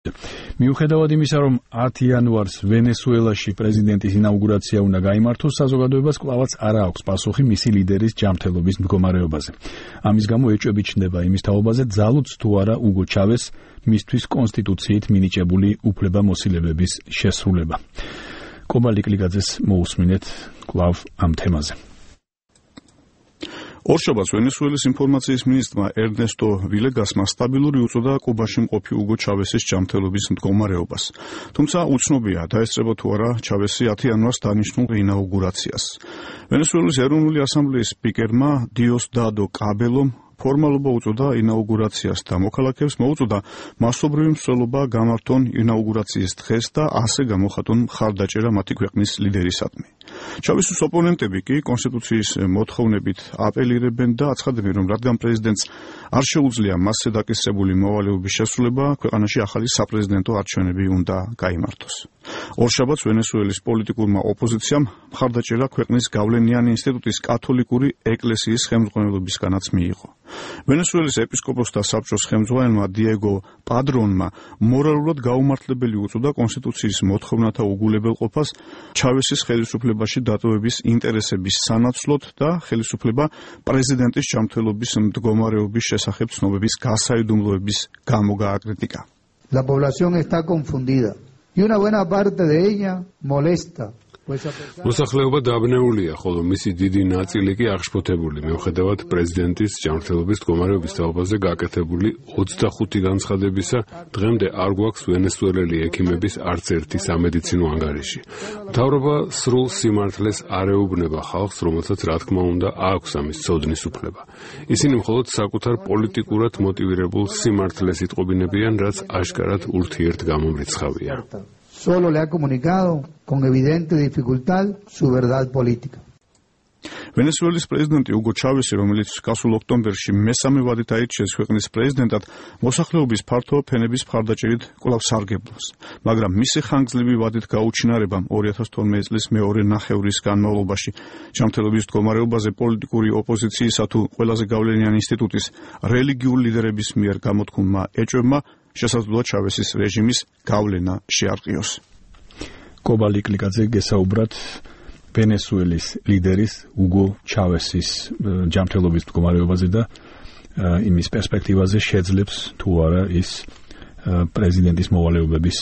მიუხედავად იმისა, რომ 10 იანვარს ვენესუელაში პრეზიდენტის ინაუგურაცია უნდა გაიმართოს, საზოგადოებას კვლავაც არ აქვს პასუხი მისი ლიდერის ჯანმრთელობის მდგომარეობაზე. ამის გამო ეჭვები ჩნდება იმის თაობაზე, ძალუც თუ არა უგო ჩავეს მისთვის კონსტიტუციით მინიჭებული უფლებამოსილებების შესრულება. კობალტ კლიკაძეს მოусმინეთ კვლავ ამ თემაზე. ორშაბათს ვენესუელის ინფორმაციის მინისტრმა ერნესტო ვილეგასმა სტაბილური უწოდა კუბაში მყოფი უგო ჩავესის ჯანმრთელობის მდგომარეობას. თუმცა უცნობია, დაესწრება თუ არა ჩავესი 10 იანვარს დანიშნულ ინაუგურაციას. ვენესუელის ეროვნული ასამბლეის სპიკერმა დიოსდადო კაბელომ ფორმალობა უწოდა ინაუგურაციას და მოქალაქეებს მოუწოდა მასობრივი მსვლელობა გამართონ ინაუგურაციის დღეს და ასე გამოხატონ მხარდაჭერა მათი ქვეყნის ლიდერისადმი. ჩავესის ოპონენტები კი კონსტიტუციის მოთხოვნებით აპელირებენ და აცხადებენ, რომ რადგან პრეზიდენტს არ შეუძლია მასზე დაკისრებული მოვალეობის შესრულება, ქვეყანაში ახალი საპრეზიდენტო არჩევნები უნდა გაიმართოს. ორშაბათს ვენესუელის პოლიტიკურმა ოპოზიციამ მხარდაჭერა ქვეყნის გავლენიანი ინსტიტუტის კათოლიკური ეკლესიის ხელმძღვანელობისგანაც მიიღო. ვენესუელის ეპისკოპოსთა საბჭოს ხელმძღვანელმა დიეგო პადრონმა მორალურად გაუმართლებელი უწოდა კონსტიტუციის მოთხოვნათა უგულებელყოფას ჩავესის ხელისუფლებაში დატოვების ინტერესების სანაცვლოდ და ხელისუფლება პრეზიდენტის ჯანმრთელობის მდგომარეობის შესახებ ცნობების გასაიდუმლოების გამო გააკრიტიკა. La población está confundida y una buena parte de ella molesta. მოსახლეობა დაბნეულია, ხოლო მისი დიდი ნაწილი კი აღშფოთებული, მიუხედავად პრეზიდენტის ჯანმრთელობის მდგომარეობის თაობაზე გაკეთებული 25 განცხადებისა, დღემდე არ გვაქვს ვენესუელელი ექიმების არც ერთი სამედიცინო ანგარიში. მთავრობა სრულ სიმართლეს არ ეუბნება ხალხს, რომელსაც რა თქმა უნდა აქვს ამის ცოდნის უფლება. ისინი მხოლოდ საკუთარ პოლიტიკურად მოტივირებულ სიმართლეს იტყობინებიან, რაც აშკარად ურთიერთგამომრიცხავია. Solo le ha comunicado con evidente dificultad su verdad política. ვენესუელის პრეზიდენტი უგო ჩავესი, რომელიც გასულ ოქტომბერში მესამე ვადით აირჩიეს ქვეყნის პრეზიდენტად, მოსახლეობის ფართო ფენების მხარდაჭერით კვლავ სარგებლობს. მაგრამ მისი ხანგრძლივი ვადით გაუჩინარებამ 2012 წლის მეორე ნახევრის განმავლობაში ჯანმრთელობის მდგომარეობაზე პოლიტიკური ოპოზიციისა თუ ყველაზე გავლენიანი ინსტიტუტის რელიგიური ლიდერების მიერ გამოთქმულმა ეჭვებმა შესაძლოა ჩავესის რეჟიმის გავლენა შეარყიოს. კობალტ კლიკაძე გესაუბრათ ვენესუელის ლიდერის უგო ჩავესის ჯანმრთელობის მდგომარეობაზე და იმის პერსპექტივაზე შეძლებს თუ არა ის პრეზიდენტის მოვალეობების